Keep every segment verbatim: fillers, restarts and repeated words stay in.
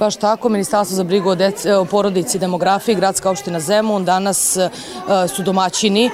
Baš tako, Ministarstvo za brigu o porodici i demografiji, Gradska opština Zemun, danas su domaćini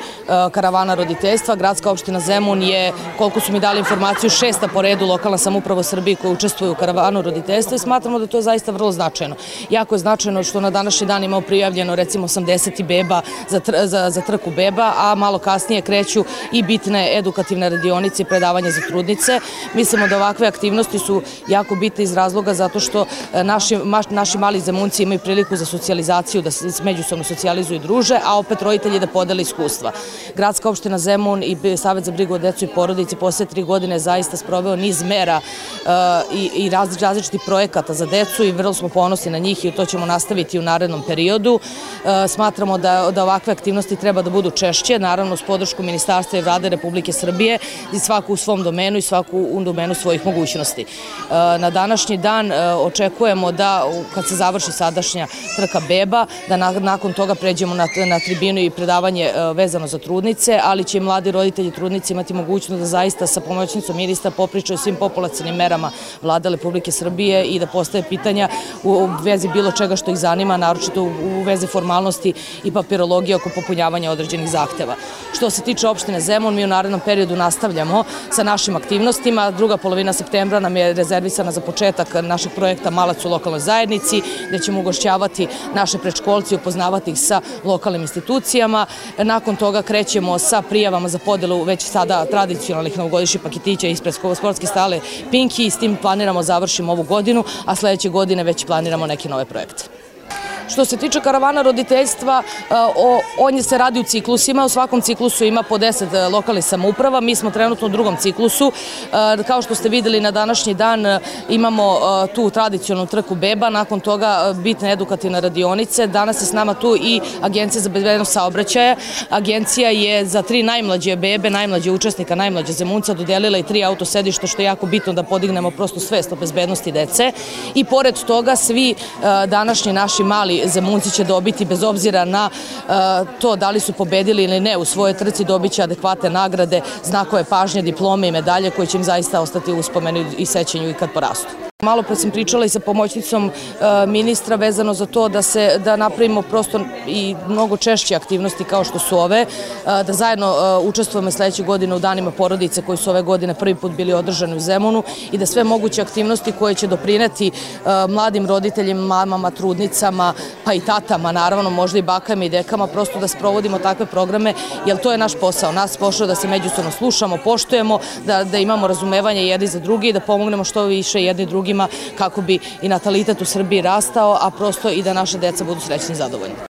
karavana roditeljstva. Gradska opština Zemun je, koliko su mi dali informaciju, šesta po redu lokalna samouprava u Srbiji koja učestvuje u karavanu roditeljstva i smatramo da to je zaista vrlo značajno. Jako je značajno što na današnji dan imamo prijavljeno recimo osamdeset beba za, za, za trku beba, a malo kasnije kreću i bitne edukativne radionice i predavanje za trudnice. Mislimo da ovakve aktivnosti su jako bitne iz razloga zato što naši, naši mali Zemunci imaju priliku za socijalizaciju, da se međusobno socijalizuju i druže, a opet roditelji da podele iskustva. Gradska opština Zemun i Savet za brigu o decu i porodici poslije tri godine zaista sproveo niz mera uh, i, i raz, različitih projekata za decu i vrlo smo ponosni na njih i to ćemo nastaviti u narednom periodu. Uh, smatramo da, da ovakve aktivnosti treba da budu češće, naravno s podršku Ministarstva i Vlade Republike Srbije i svaku u svom domenu i svaku u domenu svojih mogućnosti. Uh, na današnji dan uh, očekujemo da kad se završi sadašnja trka beba, da na, nakon toga pređemo na, na tribinu i predavanje uh, vezano za trudnice, ali će i mladi roditelji trudnici imati mogućnost da zaista sa pomoćnicom ministra popričaju svim populacionim merama Vlade Republike Srbije i da postave pitanja u vezi bilo čega što ih zanima, naročito u vezi formalnosti i papirologije oko popunjavanja određenih zahteva. Što se tiče opštine Zemun, mi u narednom periodu nastavljamo sa našim aktivnostima. Druga polovina septembra nam je rezervisana za početak našeg projekta Malac u lokalnoj zajednici, gde ćemo ugošćavati naše predškolci i upoznavati ih sa lokalnim institucijama. Nakon toga krećemo sa prijavama za podelu već sada tradicionalnih novogodišnjih paketića ispred sportske stale Pinki i s tim planiramo završimo ovu godinu, a sledeće godine već planiramo neke nove projekte. Što se tiče karavana roditeljstva, on se radi u ciklusima, u svakom ciklusu ima po deset lokalnih samouprava, mi smo trenutno u drugom ciklusu. Kao što ste videli na današnji dan imamo tu tradicionalnu trku beba, nakon toga bitne edukativne radionice, danas je s nama tu i Agencija za bezbednost saobraćaja. Agencija je za tri najmlađe bebe, najmlađe učesnika, najmlađe Zemunca dodelila i tri autosedišta, što je jako bitno da podignemo prosto svest o bezbednosti dece i pored toga svi današnji naši mali Zemunci će dobiti, bez obzira na uh, to da li su pobedili ili ne u svojoj trci, dobit će adekvatne nagrade, znakove pažnje, diplome i medalje koje će im zaista ostati u uspomenu i sećanju i kad porastu. Malo pre sam pričala i sa pomoćnicom uh, ministra vezano za to da se da napravimo prosto i mnogo češće aktivnosti kao što su ove, uh, da zajedno uh, učestvujemo sledeće godine u danima porodice koji su ove godine prvi put bili održani u Zemunu i da sve moguće aktivnosti koje će doprineti uh, mladim roditeljima, mamama, trudnicama, pa i tatama, naravno možda i bakama i dekama, prosto da sprovodimo takve programe, jer to je naš posao. Nas posao da se međusobno slušamo, poštujemo, da, da imamo razumevanje jedni za drugi i da pomognemo što više jedni drugima kako bi i natalitet u Srbiji rastao, a prosto i da naše deca budu srećni i zadovoljni.